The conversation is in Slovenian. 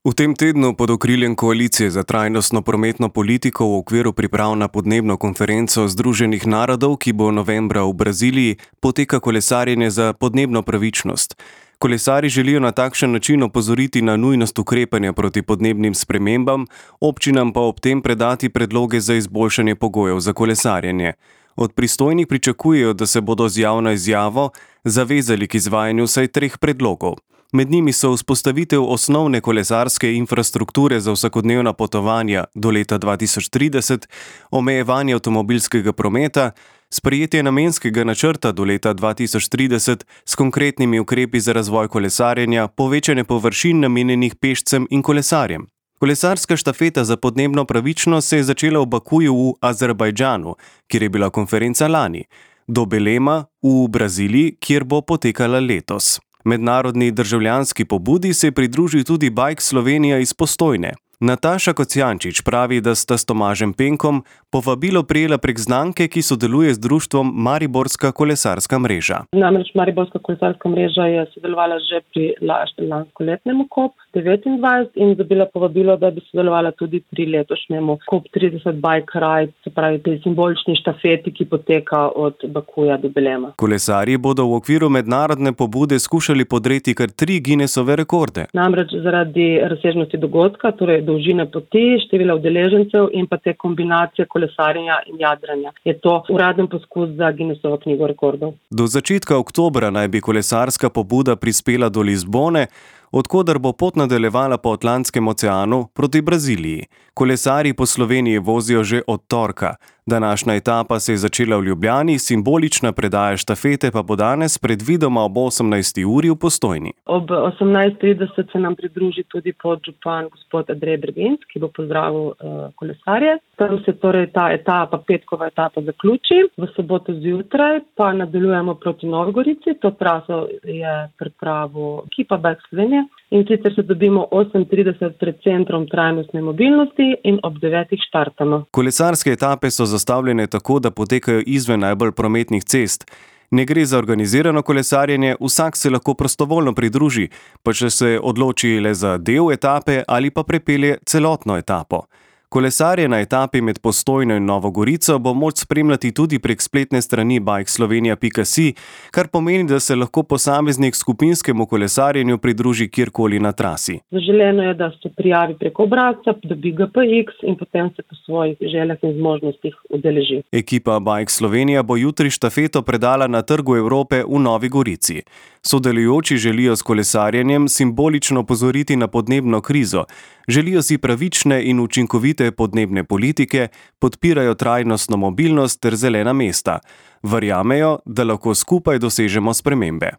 V tem tednu pod okriljem Koalicije za trajnostno prometno politiko v okviru priprav na podnebno konferenco Združenih narodov, ki bo novembra v Braziliji, poteka kolesarjenje za podnebno pravičnost. Kolesarji želijo na takšen način opozoriti na nujnost ukrepanja proti podnebnim spremembam, občinam pa ob tem predati predloge za izboljšanje pogojev za kolesarjenje. Od pristojnih pričakujejo, da se bodo z javno izjavo zavezali k izvajanju vsaj 3 predlogov. Med njimi so vzpostavitev osnovne kolesarske infrastrukture za vsakodnevna potovanja do leta 2030, omejevanje avtomobilskega prometa, sprejetje namenskega načrta do leta 2030 s konkretnimi ukrepi za razvoj kolesarjenja, povečanje površin namenjenih pešcem in kolesarjem. Kolesarska štafeta za podnebno pravičnost se je začela v Bakuju v Azerbajdžanu, kjer je bila konferenca lani, do Belema v Braziliji, kjer bo potekala letos. Mednarodni državljanski pobudi se je pridružil tudi Bike Slovenija iz Postojne. Nataša Kocijančič pravi, da sta s Tomažem Penkom povabilo prejela prek znamke, ki sodeluje z društvom Mariborska kolesarska mreža. Namreč Mariborska kolesarska mreža je sodelovala že pri lanskoletnemu COP29 in dobila povabilo, da bi sodelovala tudi pri letošnjemu COP30 Bike Ride, se pravi tej simbolični štafeti, ki poteka od Bakuja do Belema. Kolesarji bodo v okviru mednarodne pobude skušali podreti kar 3 Guinnessove rekorde. Namreč zaradi razsežnosti dogodka, torej dolžine poti, števila udeležencev in pa te kombinacije kolesarjenja in jadranja. Je to uraden poskus za Guinnessovo knjigo rekordov. Do začetka oktobra naj bi kolesarska pobuda prispela do Lizbone, od koder bo pot nadaljevala po Atlantskem oceanu proti Braziliji. Kolesarji po Sloveniji vozijo že od torka. Današnja etapa se je začela v Ljubljani, simbolična predaja štafete pa bo danes predvidoma ob 18. uri v Postojni. Ob 18:30 se nam pridruži tudi podžupan gospod Andrej Bergenc, ki bo pozdravil kolesarje. Tam se torej ta etapa, petkova etapa zaključi. V soboto zjutraj pa nadaljujemo proti Novi Gorici. To traso je pripravil ekipa Bike Slovenije. In sicer se dobimo 8:30 pred centrom trajnostne mobilnosti in ob 9. štartamo. Kolesarske etape so zastavljene tako, da potekajo izven najbolj prometnih cest. Ne gre za organizirano kolesarjenje, vsak se lahko prostovoljno pridruži, pa če se odloči le za del etape ali pa prepelje celotno etapo. Kolesarje na etapi med Postojno in Novo Gorico bo moč spremljati tudi prek spletne strani bikeslovenia.si, kar pomeni, da se lahko posameznik skupinskemu kolesarjenju pridruži kjerkoli na trasi. Zaželeno je, da se prijavi preko obrazca, dobi GPX in potem se po svojih željah in zmožnostih udeleži. Ekipa Bike Slovenija bo jutri štafeto predala na Trgu Evrope v Novi Gorici. Sodelujoči želijo s kolesarjenjem simbolično opozoriti na podnebno krizo, želijo si pravične in učinkovite podnebne politike, podpirajo trajnostno mobilnost ter zelena mesta. Verjamejo, da lahko skupaj dosežemo spremembe.